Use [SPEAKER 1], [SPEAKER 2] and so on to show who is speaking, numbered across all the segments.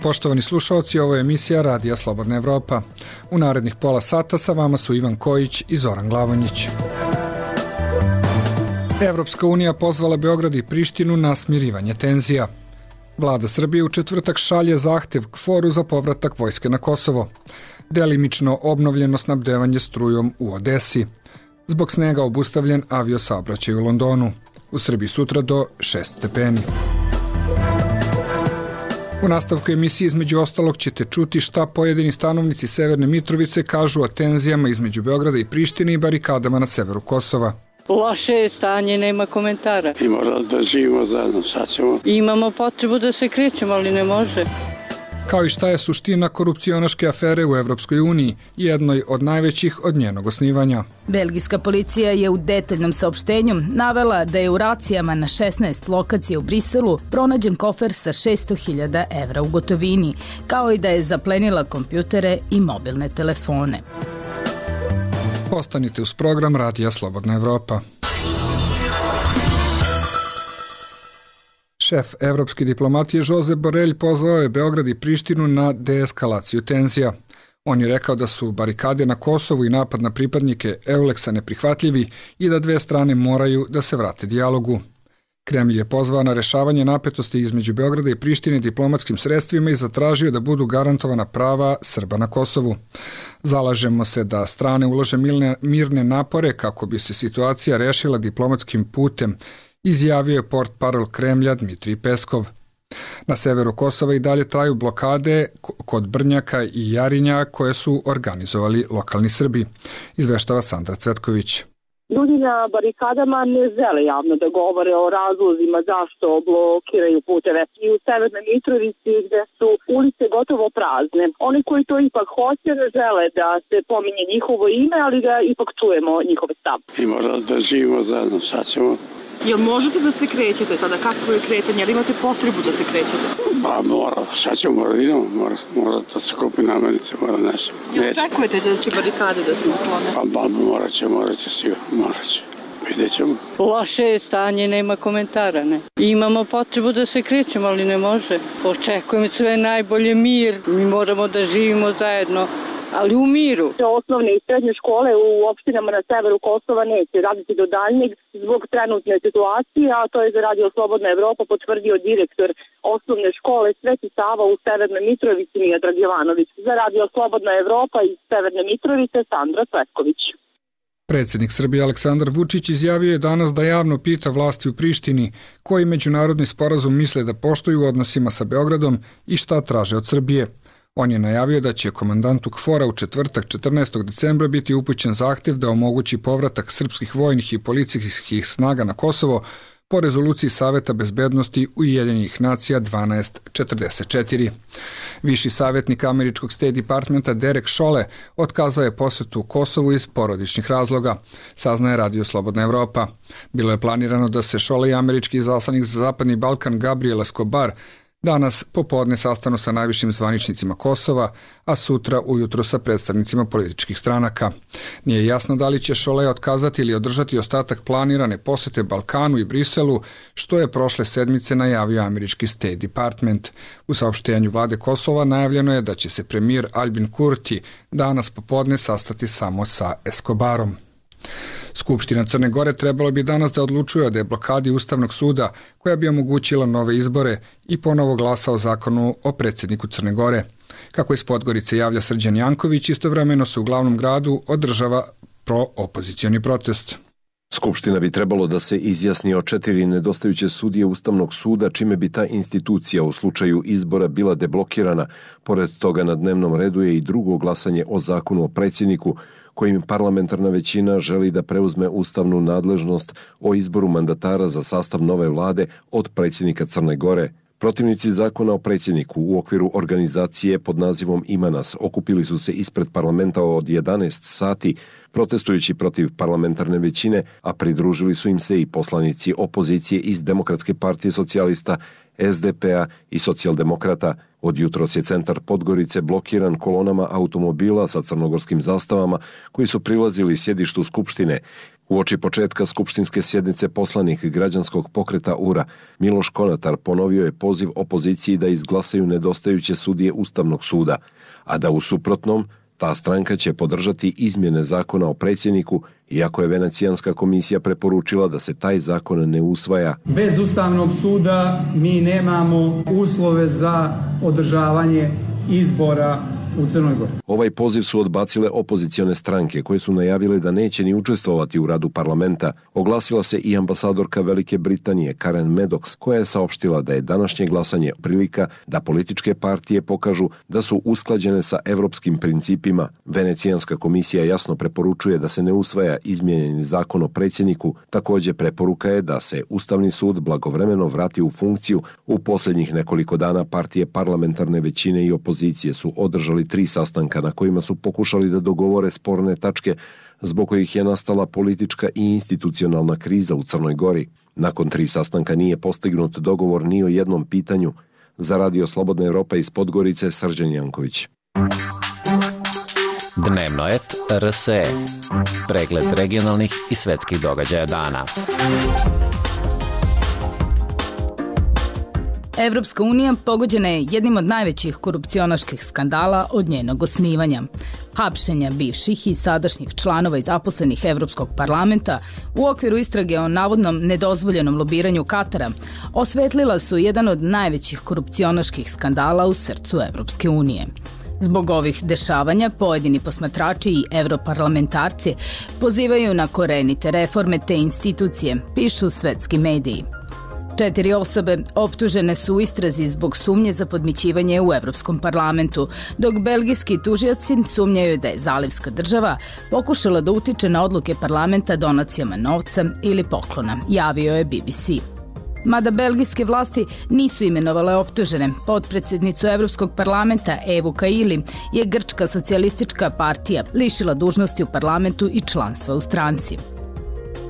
[SPEAKER 1] poštovani slušaoci, ovo je emisija Radija Slobodna Evropa. U narednih pola sata sa vama su Ivan Kojić i Zoran Glavonjić. Evropska unija pozvala Beograd i Prištinu na smirivanje tenzija. Vlada Srbije u četvrtak šalje zahtev KFOR-u za povratak vojske na Kosovo. Delimično obnovljeno snabdevanje strujom u Odesi. Zbog snega obustavljen aviosaobraćaj u Londonu. U Srbiji sutra do 6 stepeni. U nastavku emisije između ostalog ćete čuti šta pojedini stanovnici Severne Mitrovice kažu o tenzijama između Beograda i Prištine i barikadama na severu Kosova.
[SPEAKER 2] Loše je stanje, nema komentara.
[SPEAKER 3] I mora da živimo zajedno, sad ćemo.
[SPEAKER 2] Imamo potrebu da se krećemo, ali ne može.
[SPEAKER 1] Kao i šta je suština korupcionaške afere u Evropskoj uniji, jednoj od najvećih od njenog osnivanja.
[SPEAKER 4] Belgijska policija je u detaljnom saopštenju navela da je u racijama na 16 lokacija u Briselu pronađen kofer sa 600.000 evra u gotovini, kao i da je zaplenila kompjutere i mobilne telefone.
[SPEAKER 1] Ostanite uz program Radija Slobodna Evropa. Šef evropske diplomatije Josep Borrell pozvao je Beograd i Prištinu na deeskalaciju tenzija. On je rekao da su barikade na Kosovu i napad na pripadnike Euleksa neprihvatljivi i da dve strane moraju da se vrate dijalogu. Kremlj je pozvao na rešavanje napetosti između Beograda i Prištine diplomatskim sredstvima i zatražio da budu garantovana prava Srba na Kosovu. Zalažemo se da strane ulože mirne napore kako bi se situacija rešila diplomatskim putem, izjavio je portparol Kremlja Dmitrij Peskov. Na severu Kosova i dalje traju blokade kod Brnjaka i Jarinja koje su organizovali lokalni Srbi, izveštava Sandra Cvetković.
[SPEAKER 5] Ljudi na barikadama ne žele javno da govore o razlozima zašto blokiraju puteve. I u Severnoj Mitrovici gde su ulice gotovo prazne. Oni koji to ipak hoće ne žele da se pominje njihovo ime, ali da ipak čujemo njihove stav.
[SPEAKER 3] I mora da živimo zajedno, sad ćemo.
[SPEAKER 6] Jel možete da se krećete sada? Kako je kretanje? Jel imate potrebu da se krećete?
[SPEAKER 3] Pa mora, sad ćemo, mora da se kupi namirnice, mora nešto.
[SPEAKER 6] Jel očekujete da će barikade da se uklone?
[SPEAKER 3] Pa morat će sigurno, morat će. Vidjet ćemo.
[SPEAKER 2] Loše je stanje, nema komentara, ne. Imamo potrebu da se krećemo, ali ne može. Očekujem sve najbolje, mir. Mi moramo da živimo zajedno, ali u miru.
[SPEAKER 5] Osnovne i srednje škole u opštinama na severu Kosova neće raditi do daljnjeg zbog trenutne situacije, a to je za Radio Slobodna Evropa potvrdio direktor osnovne škole Sveti Sava u Severnoj Mitrovici Miodrag Jovanović. Za Radio Slobodna Evropa iz Severne Mitrovice Sandra Cvetković.
[SPEAKER 1] Predsjednik Srbije Aleksandar Vučić izjavio je danas da javno pita vlasti u Prištini koji međunarodni sporazum misle da poštuju u odnosima sa Beogradom i šta traže od Srbije. On je najavio da će komandantu KFOR-a u četvrtak 14. decembra biti upućen zahtev da omogući povratak srpskih vojnih i policijskih snaga na Kosovo po rezoluciji Saveta bezbednosti Ujedinjenih nacija 1244. Viši savjetnik američkog State Departmenta Derek Chollet otkazao je posetu Kosovu iz porodičnih razloga, saznaje Radio Slobodna Evropa. Bilo je planirano da se Chollet i američki izaslanik za Zapadni Balkan Gabriel Escobar danas popodne sastanu sa najvišim zvaničnicima Kosova, a sutra ujutro sa predstavnicima političkih stranaka. Nije jasno da li će Chollet otkazati ili održati ostatak planirane posete Balkanu i Briselu, što je prošle sedmice najavio američki State Department. U saopštenju vlade Kosova najavljeno je da će se premijer Albin Kurti danas popodne sastati samo sa Escobarom. Skupština Crne Gore trebalo bi danas da odlučuje o deblokadi Ustavnog suda koja bi omogućila nove izbore i ponovo glasa o zakonu o predsjedniku Crne Gore. Kako iz Podgorice javlja Srđan Janković, istovremeno se u glavnom gradu održava pro-opozicioni protest.
[SPEAKER 7] Skupština bi trebalo da se izjasni o 4 nedostajuće sudije Ustavnog suda, čime bi ta institucija u slučaju izbora bila deblokirana. Pored toga na dnevnom redu je i drugo glasanje o zakonu o predsjedniku, kojim parlamentarna većina želi da preuzme ustavnu nadležnost o izboru mandatara za sastav nove vlade od predsjednika Crne Gore. Protivnici zakona o predsjedniku u okviru organizacije pod nazivom Imanas okupili su se ispred parlamenta od 11 sati protestujući protiv parlamentarne većine, a pridružili su im se i poslanici opozicije iz Demokratske partije socijalista, SDP-a i socijaldemokrata. Od jutros je centar Podgorice blokiran kolonama automobila sa crnogorskim zastavama koji su prilazili sjedištu Skupštine. Uoči početka skupštinske sjednice poslanik građanskog pokreta URA Miloš Konatar ponovio je poziv opoziciji da izglasaju nedostajuće sudije Ustavnog suda, a da u suprotnom ta stranka će podržati izmjene zakona o predsjedniku, iako je Venecijanska komisija preporučila da se taj zakon ne usvaja.
[SPEAKER 8] Bez Ustavnog suda mi nemamo uslove za održavanje izbora u Crnoj Gori.
[SPEAKER 7] Ovaj poziv su odbacile opozicione stranke koje su najavile da neće ni učestvovati u radu parlamenta. Oglasila se i ambasadorka Velike Britanije Karen Maddox, koja je saopštila da je današnje glasanje prilika da političke partije pokažu da su usklađene sa evropskim principima. Venecijanska komisija jasno preporučuje da se ne usvaja izmijenjeni zakon o predsjedniku. Također preporuka je da se Ustavni sud blagovremeno vrati u funkciju. U posljednjih nekoliko dana partije parlamentarne većine i opozicije su održali 3 sastanka na kojima su pokušali da dogovore sporne tačke zbog kojih je nastala politička i institucionalna kriza u Crnoj Gori. Nakon 3 sastanka nije postignut dogovor ni o jednom pitanju. Za Radio Slobodna Evropa iz Podgorice, Srđan Janković.
[SPEAKER 9] Dnevnoet RSE. Pregled regionalnih i svetskih događaja dana.
[SPEAKER 4] Evropska unija pogođena je jednim od najvećih korupcionaških skandala od njenog osnivanja. Hapšenja bivših i sadašnjih članova i zaposlenih Evropskog parlamenta u okviru istrage o navodnom nedozvoljenom lobiranju Katara osvetlila su jedan od najvećih korupcionaških skandala u srcu Evropske unije. Zbog ovih dešavanja pojedini posmatrači i evroparlamentarci pozivaju na korenite reforme te institucije, pišu svetski mediji. 4 osobe optužene su u istrazi zbog sumnje za podmićivanje u Evropskom parlamentu, dok belgijski tužioci sumnjaju da je zalivska država pokušala da utiče na odluke parlamenta donacijama novca ili poklona, javio je BBC. Mada belgijske vlasti nisu imenovale optužene, potpredsjednicu Evropskog parlamenta Evu Kaili je grčka socijalistička partija lišila dužnosti u parlamentu i članstva u stranci.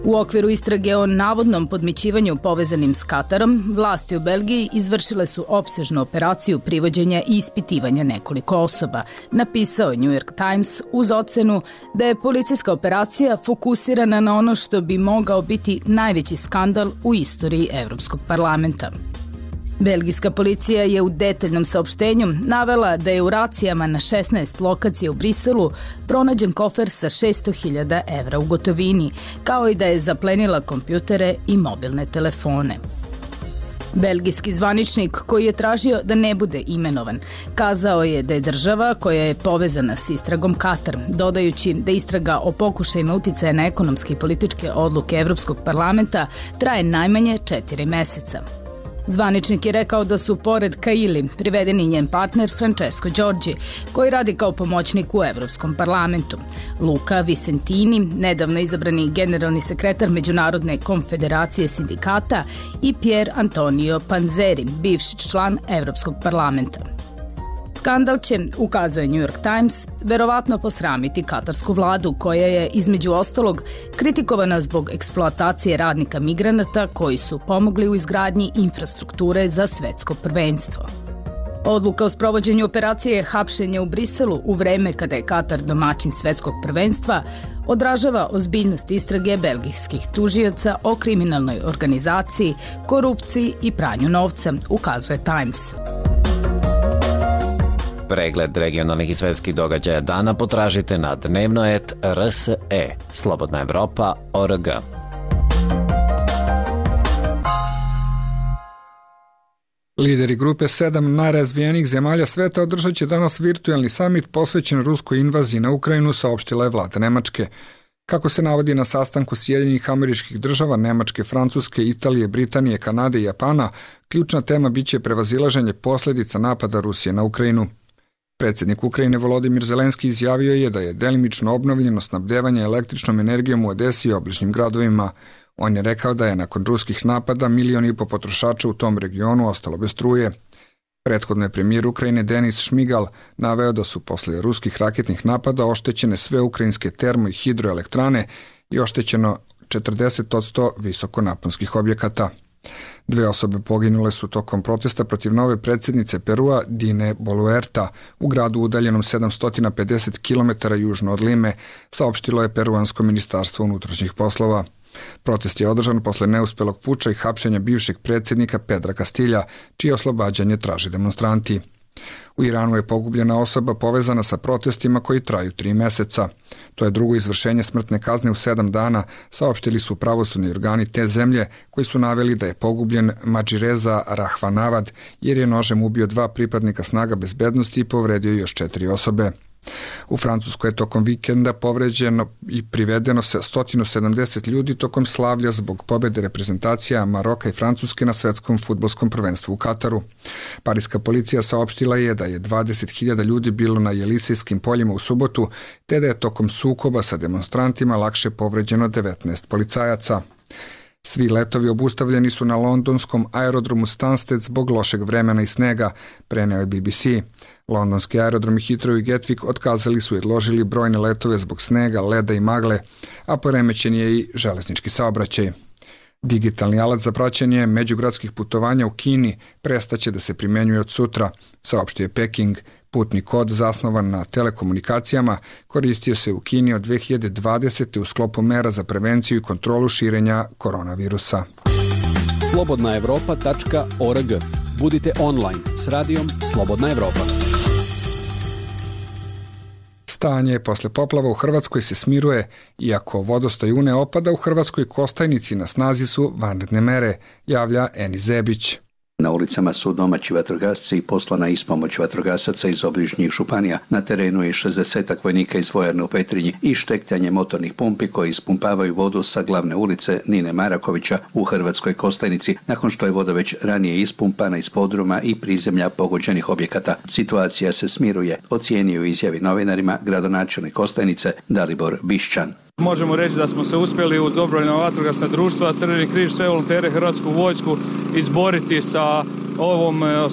[SPEAKER 4] U okviru istrage o navodnom podmićivanju povezanim s Katarom, vlasti u Belgiji izvršile su opsežnu operaciju privođenja i ispitivanja nekoliko osoba, napisao New York Times uz ocenu da je policijska operacija fokusirana na ono što bi mogao biti najveći skandal u istoriji Evropskog parlamenta. Belgijska policija je u detaljnom saopštenju navela da je u racijama na 16 lokacija u Briselu pronađen kofer sa 600.000 evra u gotovini, kao i da je zaplenila kompjutere i mobilne telefone. Belgijski zvaničnik, koji je tražio da ne bude imenovan, kazao je da je država koja je povezana s istragom Katar, dodajući da istraga o pokušajima uticaja na ekonomske i političke odluke Evropskog parlamenta traje najmanje 4 meseca. Zvaničnik je rekao da su pored Kaili privedeni njen partner Francesco Giorgi, koji radi kao pomoćnik u Evropskom parlamentu, Luca Vicentini, nedavno izabrani generalni sekretar Međunarodne konfederacije sindikata i Pier Antonio Panzeri, bivši član Evropskog parlamenta. Skandal će, ukazuje New York Times, verovatno posramiti katarsku vladu koja je, između ostalog, kritikovana zbog eksploatacije radnika migranata koji su pomogli u izgradnji infrastrukture za svetsko prvenstvo. Odluka o sprovođenju operacije hapšenja u Briselu u vreme kada je Katar domaćin svetskog prvenstva odražava ozbiljnost istrage belgijskih tužioca o kriminalnoj organizaciji, korupciji i pranju novca, ukazuje Times.
[SPEAKER 9] Pregled regionalnih i svetskih događaja dana potražite na Dnevnoet RSE, Slobodna Evropa.org.
[SPEAKER 1] Lideri grupe 7 najrazvijenijih zemalja sveta održat će danas virtualni samit posvećen ruskoj invaziji na Ukrajinu, saopštila je vlada Nemačke. Kako se navodi na sastanku Sjedinjenih Američkih Država, Nemačke, Francuske, Italije, Britanije, Kanade i Japana, ključna tema biće prevazilaženje posljedica napada Rusije na Ukrajinu. Predsjednik Ukrajine Volodimir Zelenski izjavio je da je delimično obnovljeno snabdevanje električnom energijom u Odesi i obližnjim gradovima. On je rekao da je nakon ruskih napada 1,5 miliona potrošača u tom regionu ostalo bez struje. Prethodno je premijer Ukrajine Denis Šmigal naveo da su posle ruskih raketnih napada oštećene sve ukrajinske termo- i hidroelektrane i oštećeno 40% visokonaponskih objekata. 2 osobe poginule su tokom protesta protiv nove predsjednice Perua Dine Boluerta u gradu udaljenom 750 km južno od Lime, saopštilo je peruansko ministarstvo unutrašnjih poslova. Protest je održan posle neuspelog puča i hapšenja bivšeg predsjednika Pedra Castilja, čije oslobađanje traže demonstranti. U Iranu je pogubljena osoba povezana sa protestima koji traju 3 meseca. To je drugo izvršenje smrtne kazne u 7 dana, saopštili su pravosudni organi te zemlje koji su naveli da je pogubljen Madžireza Rahvanavad jer je nožem ubio 2 pripadnika snaga bezbednosti i povredio još 4 osobe. U Francuskoj je tokom vikenda povređeno i privedeno 170 ljudi tokom slavlja zbog pobjede reprezentacija Maroka i Francuske na svetskom fudbalskom prvenstvu u Kataru. Pariska policija saopštila je da je 20.000 ljudi bilo na Jelisejskim poljima u subotu, te da je tokom sukoba sa demonstrantima lakše povređeno 19 policajaca. Svi letovi obustavljeni su na londonskom aerodromu Stansted zbog lošeg vremena i snega, preneo je BBC. Londonski aerodromi Heathrow i Gatwick otkazali su i odložili brojne letove zbog snega, leda i magle, a poremećen je i železnički saobraćaj. Digitalni alat za praćenje međugradskih putovanja u Kini prestaće da se primenjuje od sutra, saopštio je Peking. Putni kod zasnovan na telekomunikacijama koristio se u Kini od 2020. u sklopu mera za prevenciju i kontrolu širenja koronavirusa.
[SPEAKER 10] slobodnaevropa.org. Budite online s radijom Slobodna Evropa.
[SPEAKER 1] Stanje posle poplava u Hrvatskoj se smiruje, iako vodostaj Une opada u Hrvatskoj Kostajnici na snazi su vanredne mere, javlja Eni Zebić.
[SPEAKER 11] Na ulicama su domaći vatrogasci i poslana ispomoć vatrogasaca iz obližnjih županija. Na terenu je 60-ak vojnika iz vojarne u Petrinji i štektanje motornih pumpi koji ispumpavaju vodu sa glavne ulice Nine Marakovića u Hrvatskoj Kostajnici, nakon što je voda već ranije ispumpana iz podruma i prizemlja pogođenih objekata. Situacija se smiruje, ocijenio u izjavi novinarima gradonačelnik Kostajnice Dalibor Bišćan.
[SPEAKER 12] Možemo reći da smo se uspjeli uz dobrovoljna vatrogasna društva, Crveni križ, sve volontere, Hrvatsku vojsku izboriti sa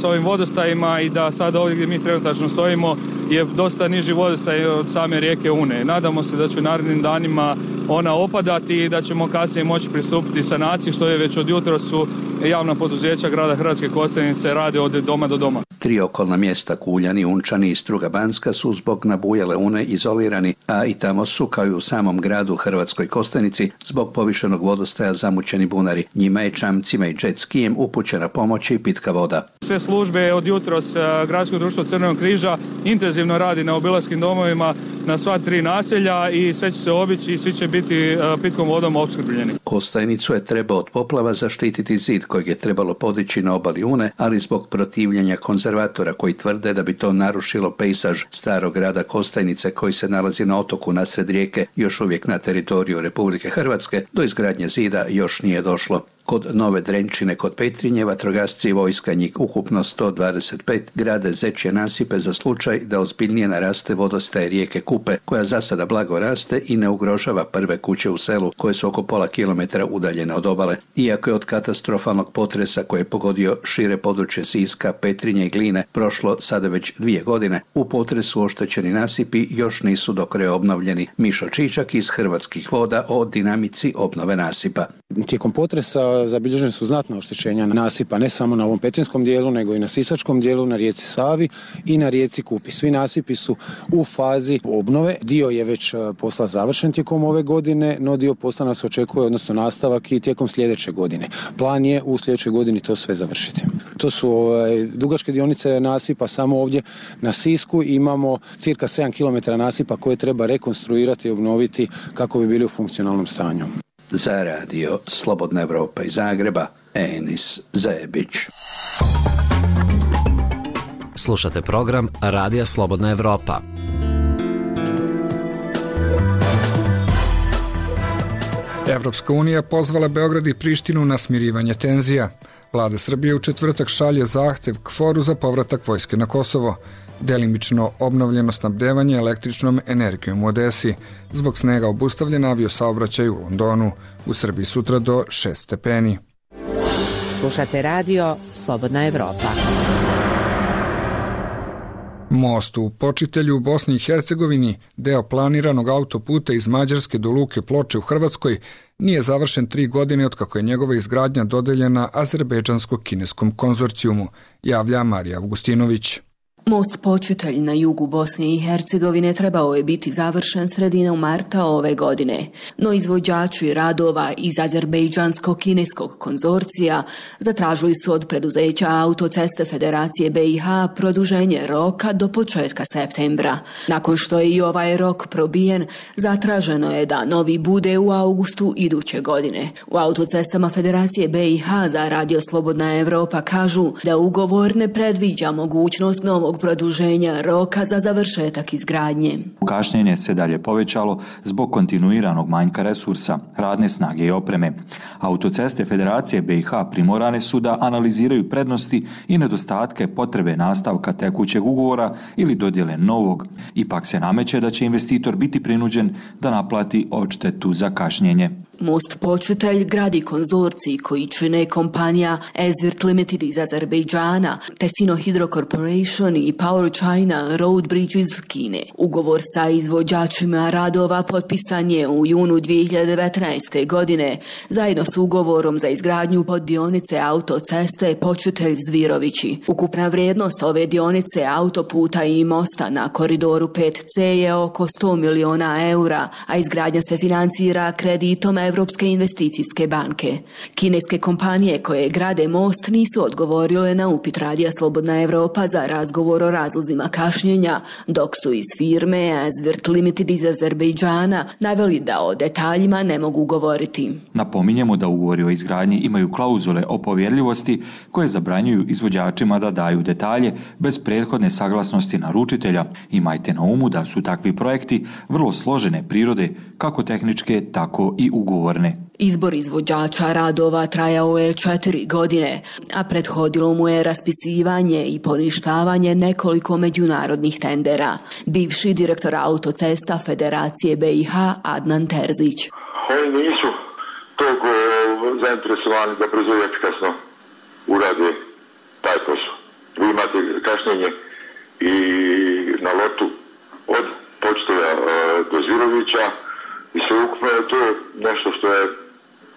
[SPEAKER 12] ovim vodostajima i da sad ovdje gdje mi trenutačno stojimo je dosta niži vodostaj od same rijeke Une. Nadamo se da će u narednim danima ona opadati i da ćemo kasnije moći pristupiti sanaciji, što je već od jutra su javna poduzeća grada Hrvatske Kostajnice rade od doma do doma.
[SPEAKER 11] 3 okolna mjesta Kuljani, Unčani i Struga Banska su zbog nabujale Une izolirani, a i tamo su kao i u samom gradu Hrvatskoj Kostajnici zbog povišenog vodostaja zamućeni bunari. Njima je čamcima i jet skijem upućena pomoć i pitka voda.
[SPEAKER 12] Sve službe od jutros Gradsko društvo Crvenog križa intenzivno radi na obilaskim domovima na sva 3 naselja i sve će se obići i svi će biti pitkom vodom opskrbljeni.
[SPEAKER 11] Kostajnicu je trebao od poplava zaštititi zid kojeg je trebalo podići na obali Une, ali zbog protivljenja konzervatora koji tvrde da bi to narušilo pejzaž starog grada Kostajnice koji se nalazi na otoku nasred rijeke, još uvijek na teritoriju Republike Hrvatske, do izgradnje zida još nije došlo. Kod Nove Drenčine kod Petrinje vatrogasci i vojska, njih ukupno 125, grade zečje nasipe za slučaj da ozbiljnije naraste vodostaj rijeke Kupe, koja za sada blago raste i ne ugrožava prve kuće u selu koje su oko pola kilometra udaljene od obale. Iako je od katastrofalnog potresa koji je pogodio šire područje Siska, Petrinje i Gline prošlo sada već 2 godine, u potresu oštećeni nasipi još nisu do kraja obnovljeni. Mišo Čičak iz Hrvatskih voda o dinamici obnove nasipa.
[SPEAKER 13] Tijekom potresa zabilježene su znatna oštećenja nasipa, ne samo na ovom petrinjskom dijelu, nego i na sisačkom dijelu, na rijeci Savi i na rijeci Kupi. Svi nasipi su u fazi obnove. Dio je već posla završen tijekom ove godine, no dio posla nas očekuje, odnosno nastavak i tijekom sljedeće godine. Plan je u sljedećoj godini to sve završiti. To su dugačke dionice nasipa, samo ovdje na Sisku imamo cirka 7 km nasipa koje treba rekonstruirati i obnoviti kako bi bili u funkcionalnom stanju.
[SPEAKER 11] Za radio Slobodna Evropa iz Zagreba, Enis Zebić.
[SPEAKER 9] Slušate program Radija Slobodna Evropa.
[SPEAKER 1] Evropska unija pozvala Beograd i Prištinu na smirivanje tenzija. Vlada Srbije u četvrtak šalje zahtev KFOR-u za povratak vojske na Kosovo. Delimično obnovljeno snabdevanje električnom energijom u Odesi. Zbog snega obustavljen aviosaobraćaj u Londonu. U Srbiji sutra do 6 stepeni.
[SPEAKER 14] Slušate radio Slobodna Evropa.
[SPEAKER 1] Most u Počitelju u Bosni i Hercegovini, deo planiranog autoputa iz Mađarske do Luke Ploče u Hrvatskoj, nije završen 3 godine otkako je njegova izgradnja dodeljena azerbejdžansko-kineskom konzorcijumu, javlja Marija Augustinović.
[SPEAKER 14] Most Počitelj na jugu Bosne i Hercegovine trebao je biti završen sredinom marta ove godine, no izvođači radova iz azerbejdžansko-kineskog konzorcija zatražili su od preduzeća Autoceste Federacije BiH produženje roka do početka septembra. Nakon što je i ovaj rok probijen, zatraženo je da novi bude u augustu iduće godine. U Autocestama Federacije BiH za Radio Slobodna Evropa kažu da ugovor ne predviđa mogućnost novog produženja roka za završetak izgradnje.
[SPEAKER 15] Kašnjenje se dalje povećalo zbog kontinuiranog manjka resursa, radne snage i opreme. Autoceste Federacije BiH primorane su da analiziraju prednosti i nedostatke potrebe nastavka tekućeg ugovora ili dodjele novog. Ipak se nameće da će investitor biti prinuđen da naplati odštetu za kašnjenje.
[SPEAKER 14] Most Počitelj gradi konzorcij koji čine kompanija Ezvirt Limited iz Azerbejdžana, te Sino Hydro Corporation i Power China Road Bridge iz Kine. Ugovor sa izvođačima radova potpisan je u junu 2019. godine, zajedno s ugovorom za izgradnju poddionice autoceste Počitelj-Zvirovići. Ukupna vrijednost ove dionice autoputa i mosta na koridoru 5C je oko 100 miliona eura, a izgradnja se financira kreditom Evropske investicijske banke. Kineske kompanije koje grade most nisu odgovorile na upit Radija Slobodna Evropa za razgovor o razlozima kašnjenja, dok su iz firme Ezvirt Limited iz Azerbejdžana naveli da o detaljima ne mogu govoriti.
[SPEAKER 15] Napominjemo da ugovori o izgradnji imaju klauzule o povjerljivosti koje zabranjuju izvođačima da daju detalje bez prethodne saglasnosti naručitelja. Imajte na umu da su takvi projekti vrlo složene prirode, kako tehničke, tako i ugovorne.
[SPEAKER 14] Izbor izvođača radova trajao je 4 godine, a prethodilo mu je raspisivanje i poništavanje nekoliko međunarodnih tendera. Bivši direktor Autocesta Federacije BiH Adnan Terzić.
[SPEAKER 16] Oni nisu toliko zainteresovani da brzo i efikasno urade taj posao. Vi imate kašnjenje i na lotu od Počitelja do Zvirovića i sveukupno je to nešto što je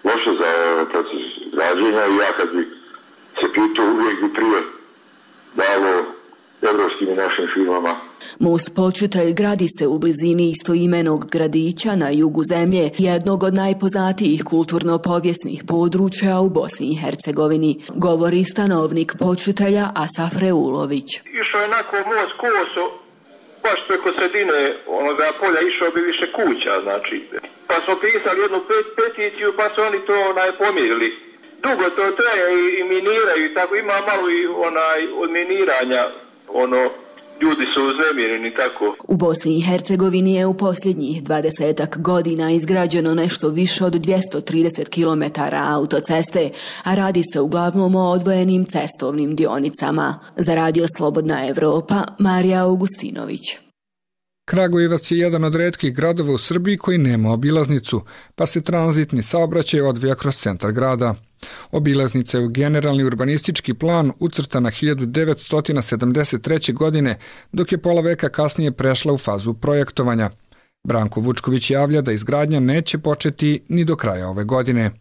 [SPEAKER 16] loše za proces građenja i ja kad bi se pitao uvijek bi prije dalo evropskim i našim firmama.
[SPEAKER 14] Most Počitelj gradi se u blizini istoimenog gradića na jugu zemlje, jednog od najpoznatijih kulturno-povijesnih područja u Bosni i Hercegovini, govori stanovnik Počitelja Asaf Reulović.
[SPEAKER 17] Išao je onako most koso, baš preko sredine onoga polja išao bi više kuća, znači. Pa smo pisali jednu peticiju, pa su oni to pomirili. Dugo to traje i miniraju i tako, ima malo i od miniranja, ljudi su uznemireni tako.
[SPEAKER 14] U Bosni i Hercegovini je u posljednjih 20 godina izgrađeno nešto više od 230 km autoceste, a radi se uglavnom o odvojenim cestovnim dionicama. Za Radio Slobodna Evropa, Marija Augustinović.
[SPEAKER 1] Kragujevac je jedan od retkih gradova u Srbiji koji nema obilaznicu, pa se tranzitni saobraćaj odvija kroz centar grada. Obilaznica je u generalni urbanistički plan ucrtana 1973. godine, dok je pola veka kasnije prešla u fazu projektovanja. Branko Vučković javlja da izgradnja neće početi ni do kraja ove godine.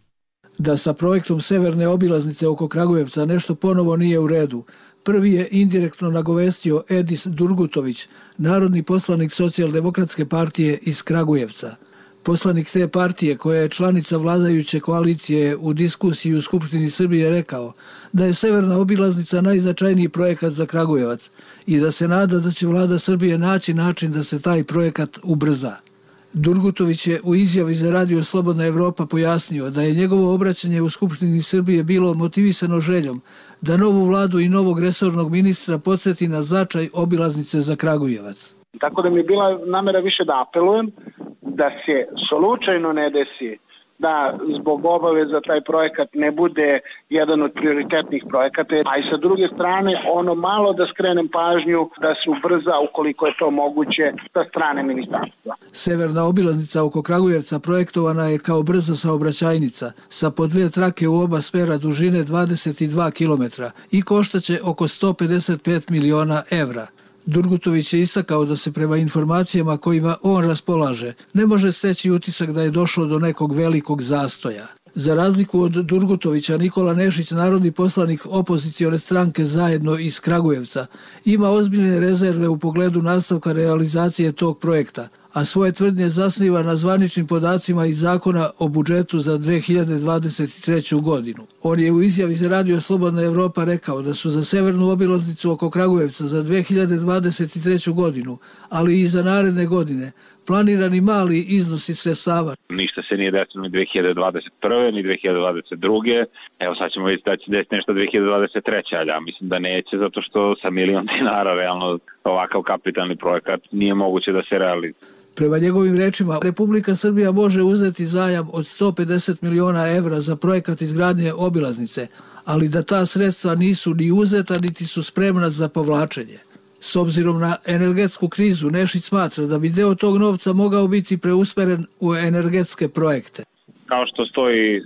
[SPEAKER 18] Da sa projektom severne obilaznice oko Kragujevca nešto ponovo nije u redu. Prvi je indirektno nagovestio Edis Durgutović, narodni poslanik Socijaldemokratske partije iz Kragujevca. Poslanik te partije, koja je članica vladajuće koalicije, u diskusiji u Skupštini Srbije rekao da je severna obilaznica najznačajniji projekat za Kragujevac i da se nada da će vlada Srbije naći način da se taj projekat ubrza. Durgutović je u izjavi za Radio Slobodna Evropa pojasnio da je njegovo obraćanje u Skupštini Srbije bilo motivisano željom da novu vladu i novog resornog ministra podsjeti na značaj obilaznice za Kragujevac.
[SPEAKER 19] Tako da mi je bila namera više da apelujem da se slučajno ne desi da zbog obaveza taj projekat ne bude jedan od prioritetnih projekata, a i sa druge strane malo da skrenem pažnju da se ubrza ukoliko je to moguće sa strane ministarstva.
[SPEAKER 18] Severna obilaznica oko Kragujevca projektovana je kao brza saobraćajnica sa po 2 trake u oba smera dužine 22 km i koštaće oko 155 miliona evra. Durgutović je istakao da se prema informacijama kojima on raspolaže ne može steći utisak da je došlo do nekog velikog zastoja. Za razliku od Durgutovića, Nikola Nešić, narodni poslanik opozicione stranke Zajedno iz Kragujevca, ima ozbiljne rezerve u pogledu nastavka realizacije tog projekta, a svoje tvrdnje zasniva na zvaničnim podacima iz zakona o budžetu za 2023. godinu. On je u izjavi za Radio Slobodna Evropa rekao da su za severnu obilaznicu oko Kragujevca za 2023. godinu, ali i za naredne godine, planirani mali iznosi sredstava.
[SPEAKER 20] Ništa se nije desilo ni 2021. ni 2022. Evo sad ćemo vidjeti da će desiti nešto 2023. Ali ja mislim da neće, zato što sa $1.000.000 realno ovakav kapitalni projekat nije moguće da se realizuje.
[SPEAKER 18] Prema njegovim rečima, Republika Srbija može uzeti zajam od 150 miliona evra za projekat izgradnje obilaznice, ali da ta sredstva nisu ni uzeta niti su spremna za povlačenje. S obzirom na energetsku krizu, Nešić smatra da bi deo tog novca mogao biti preusmeren u energetske projekte.
[SPEAKER 20] Kao što stoji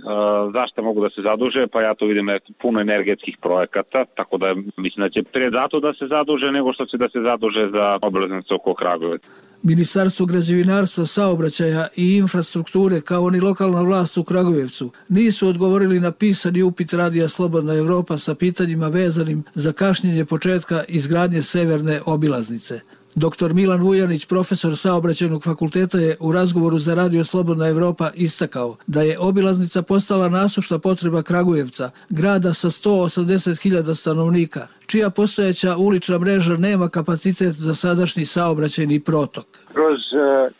[SPEAKER 20] zašto mogu da se zaduže, pa ja to vidim puno energetskih projekata, tako da mislim da će prije zato da se zaduže nego što će da se zaduže za obilaznicu oko Kragujevca.
[SPEAKER 18] Ministarstvo građevinarstva, saobraćaja i infrastrukture, kao ni lokalna vlast u Kragujevcu, nisu odgovorili na pisani upit Radija Slobodna Evropa sa pitanjima vezanim za kašnjenje početka izgradnje severne obilaznice. Dr. Milan Vujanić, profesor Saobraćajnog fakulteta, je u razgovoru za Radio Slobodna Evropa istakao da je obilaznica postala nasušna potreba Kragujevca, grada sa 180.000 stanovnika, čija postojeća ulična mreža nema kapacitet za sadašnji saobraćajni protok.
[SPEAKER 21] Kroz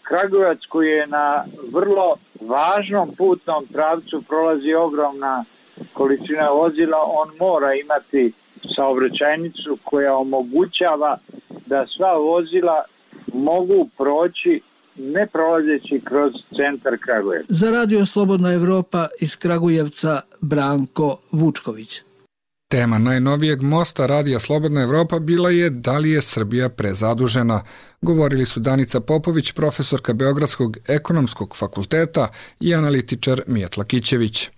[SPEAKER 21] Kragujevac, koji je na vrlo važnom putnom pravcu, prolazi ogromna količina vozila, on mora imati saobraćajnicu koja omogućava da sva vozila mogu proći ne prolazeći kroz centar Kragujevca.
[SPEAKER 18] Za Radio Slobodna Evropa iz Kragujevca Branko Vučković.
[SPEAKER 1] Tema najnovijeg mosta Radija Slobodna Evropa bila je da li je Srbija prezadužena. Govorili su Danica Popović, profesorka Beogradskog ekonomskog fakulteta, i analitičar Mijatla Kićević.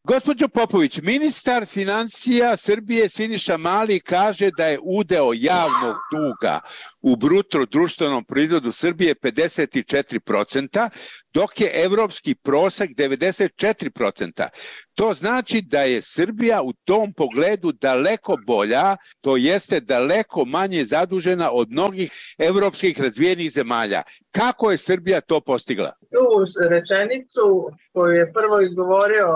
[SPEAKER 22] Gospođo Popović, ministar financija Srbije Siniša Mali kaže da je udeo javnog duga u bruto društvenom proizvodu Srbije 54%, dok je evropski prosek 94%. To znači da je Srbija u tom pogledu daleko bolja, to jeste daleko manje zadužena od mnogih evropskih razvijenih zemalja. Kako je Srbija to postigla?
[SPEAKER 23] Tu rečenicu koju je prvo izgovorio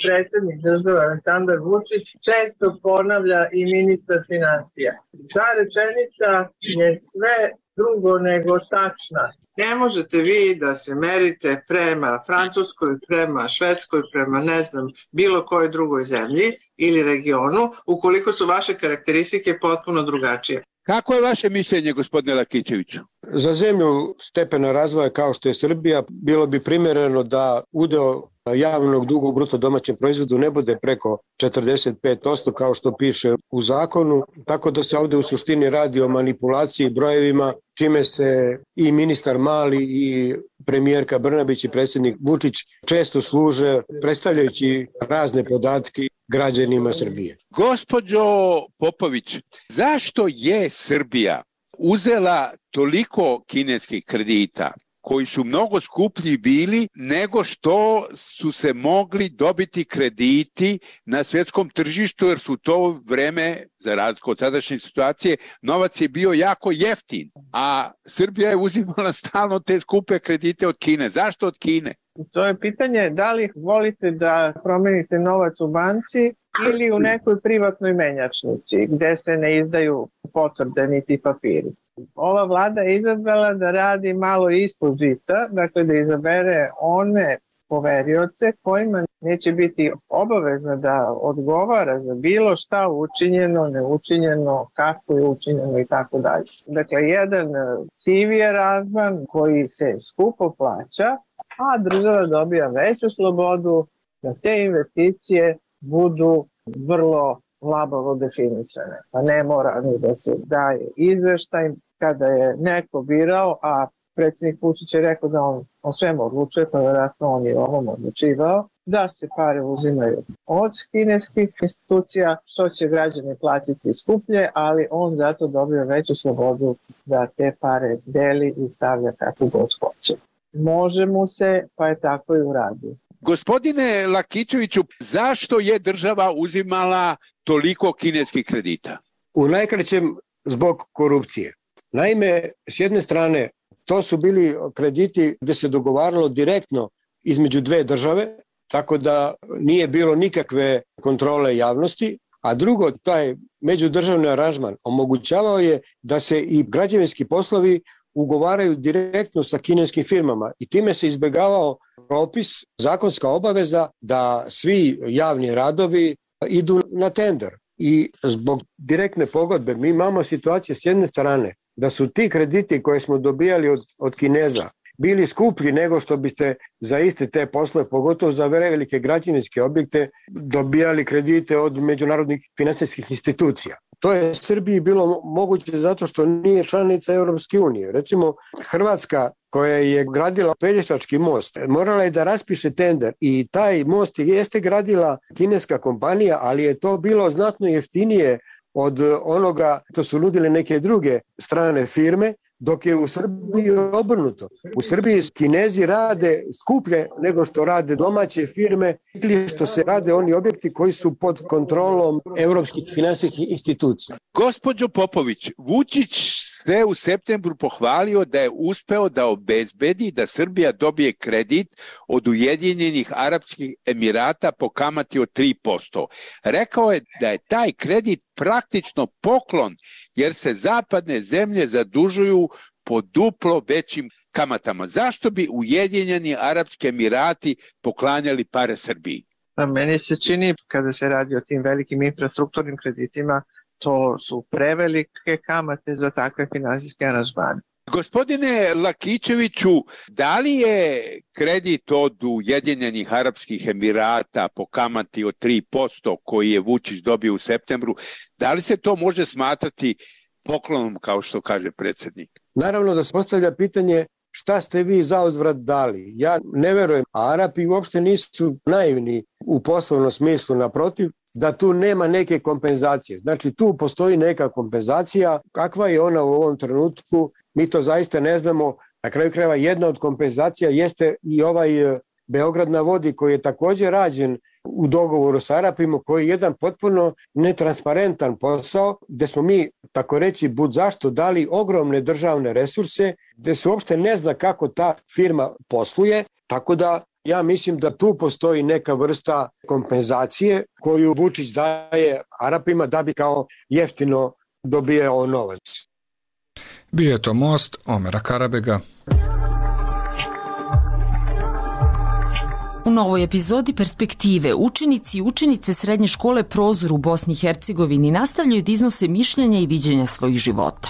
[SPEAKER 23] predsjednik države Aleksandar Vučić često ponavlja i ministar financija. Ta rečenica je sve drugo nego tačna. Ne možete vi da se merite prema Francuskoj, prema Švedskoj, prema ne znam bilo kojoj drugoj zemlji ili regionu ukoliko su vaše karakteristike potpuno drugačije.
[SPEAKER 22] Kako je vaše mišljenje, gospodine Lakićeviću?
[SPEAKER 24] Za zemlju stepena razvoja kao što je Srbija bilo bi primjereno da udeo javnog duga u bruto domaćem proizvodu ne bude preko 45% kao što piše u zakonu, tako da se ovde u suštini radi o manipulaciji brojevima, čime se i ministar Mali i premijerka Brnabić i predsjednik Vučić često služe predstavljajući razne podatke građanima Srbije.
[SPEAKER 22] Gospođo Popović, zašto je Srbija uzela toliko kineskih kredita koji su mnogo skuplji bili nego što su se mogli dobiti krediti na svjetskom tržištu, jer su to vreme, za razliku od sadašnje situacije, novac je bio jako jeftin, a Srbija je uzimala stalno te skupe kredite od Kine. Zašto od Kine?
[SPEAKER 23] To je pitanje da li volite da promenite novac u banci ili u nekoj privatnoj menjačnici gde se ne izdaju potvrde niti papiri. Ova vlada je izabrala da radi malo ispod žita, dakle da izabere one poverioce kojima neće biti obavezno da odgovara za bilo šta učinjeno, neučinjeno, kako je učinjeno i tako dalje. Dakle, jedan CV je razvan koji se skupo plaća, a država dobija veću slobodu da te investicije budu vrlo labavo definisane. Pa ne mora ni da se daje izveštaj kada je neko birao, a predsjednik Vučić je rekao da on o svemu odlučuje, pa vjerojatno on je ovom odlučivao. da se pare uzimaju od kineskih institucija, što će građani platiti skuplje, ali on zato dobio veću slobodu da te pare deli i stavlja kako god hoće. Može mu se, pa je tako i uradio.
[SPEAKER 22] Gospodine Lakićeviću, zašto je država uzimala toliko kineskih kredita?
[SPEAKER 24] U najkraćem zbog korupcije. Naime, s jedne strane, to su bili krediti gdje se dogovaralo direktno između dve države, tako da nije bilo nikakve kontrole javnosti, a drugo, taj međudržavni aranžman omogućavao je da se i građevinski poslovi ugovaraju direktno sa kineskim firmama i time se izbjegavao propis, zakonska obaveza da svi javni radovi idu na tender. I zbog direktne pogodbe mi imamo situaciju s jedne strane da su ti krediti koje smo dobijali od Kineza bili skuplji nego što biste za iste te poslove, pogotovo za velike građevinske objekte, dobijali kredite od međunarodnih finansijskih institucija. To je Srbiji bilo moguće zato što nije članica Europske unije. Recimo, Hrvatska koja je gradila Pelješački most, morala je da raspiše tender i taj most jeste gradila kineska kompanija, ali je to bilo znatno jeftinije od onoga što su nudile neke druge strane firme, dok je u Srbiji obrnuto. U Srbiji Kinezi rade skuplje nego što rade domaće firme ili što se rade oni objekti koji su pod kontrolom europskih finansijskih institucija.
[SPEAKER 22] Gospođo Popović, Vučić se u septembru pohvalio da je uspeo da obezbedi da Srbija dobije kredit od Ujedinjenih Arapskih Emirata po kamati od 3%. Rekao je da je taj kredit praktično poklon jer se zapadne zemlje zadužuju po duplo većim kamatama. Zašto bi Ujedinjeni Arapski Emirati poklanjali pare Srbiji?
[SPEAKER 23] Meni se čini, kada se radi o tim velikim infrastrukturnim kreditima, to su prevelike kamate za takve finansijske aranžmane.
[SPEAKER 22] Gospodine Lakićeviću, da li je kredit od Ujedinjenih Arapskih Emirata po kamati od 3% koji je Vučić dobio u septembru, da li se to može smatrati poklonom, kao što kaže predsjednik?
[SPEAKER 24] Naravno da se postavlja pitanje šta ste vi za uzvrat dali. Ja ne verujem, a Arapi uopšte nisu naivni u poslovnom smislu, naprotiv, da tu nema neke kompenzacije. Znači tu postoji neka kompenzacija, kakva je ona u ovom trenutku, mi to zaista ne znamo. Na kraju krajeva jedna od kompenzacija jeste i ovaj Beograd na vodi koji je također rađen u dogovoru sa Arapima, koji je jedan potpuno netransparentan posao, gde smo mi, tako reći, bud zašto dali ogromne državne resurse, gde se uopšte ne zna kako ta firma posluje, tako da ja mislim da tu postoji neka vrsta kompenzacije koju Vučić daje Arapima da bi kao jeftino dobijao novac.
[SPEAKER 1] Bio je to most Omera Karabega.
[SPEAKER 4] U novoj epizodi Perspektive učenici i učenice srednje škole Prozor u Bosni i Hercegovini nastavljaju da iznose mišljenja i viđenja svojih života.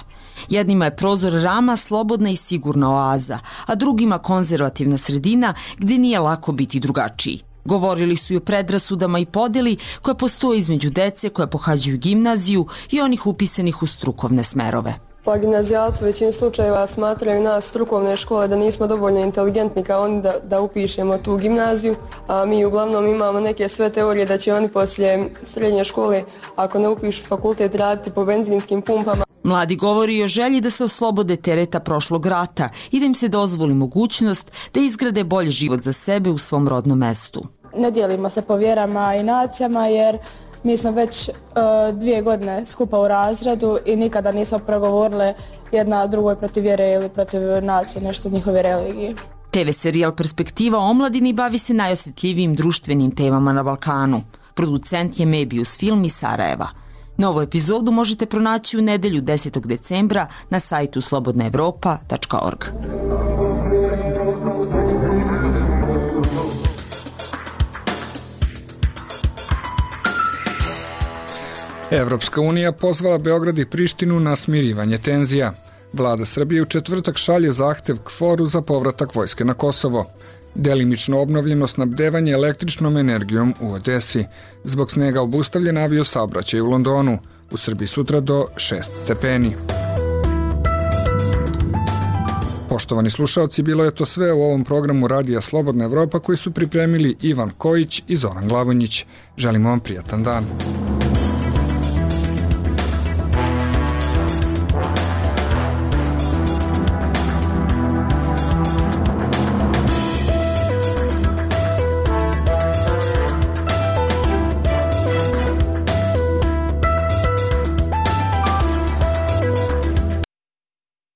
[SPEAKER 4] Jednima je Prozor Rama slobodna i sigurna oaza, a drugima konzervativna sredina gdje nije lako biti drugačiji. Govorili su i o predrasudama i podeli koje postoje između dece koja pohađaju gimnaziju i onih upisanih u strukovne smerove.
[SPEAKER 2] Pa gimnazijalci u većini slučajeva smatraju nas strukovne škole da nismo dovoljno inteligentni kao oni da upišemo tu gimnaziju, a mi uglavnom imamo neke sve teorije da će oni poslije srednje škole, ako ne upišu fakultet, raditi po benzinskim pumpama.
[SPEAKER 4] Mladi govori i o želji da se oslobode tereta prošlog rata i da im se dozvoli mogućnost da izgrade bolji život za sebe u svom rodnom mestu.
[SPEAKER 3] Ne dijelimo se po vjerama i nacijama jer mi smo već 2 godine skupa u razredu i nikada nismo progovorile jedna drugoj protiv vjere ili protiv nacije, nešto od njihove religije.
[SPEAKER 4] TV serijal Perspektiva o omladini bavi se najosjetljivijim društvenim temama na Balkanu. Producent je Mebius Film iz Sarajeva. Novu epizodu možete pronaći u nedelju 10. decembra na sajtu slobodnaevropa.org.
[SPEAKER 1] Evropska unija pozvala Beograd i Prištinu na smirivanje tenzija. Vlada Srbije u četvrtak šalje zahtev KFOR-u za povratak vojske na Kosovo. Delimično obnovljeno snabdevanje električnom energijom u Odesi. Zbog snega obustavljen avio saobraćaj u Londonu. U Srbiji sutra do 6 stepeni. Poštovani slušalci, bilo je to sve u ovom programu Radija Slobodna Evropa koji su pripremili Ivan Kojić i Zoran Glavonjić. Želimo vam prijatan dan.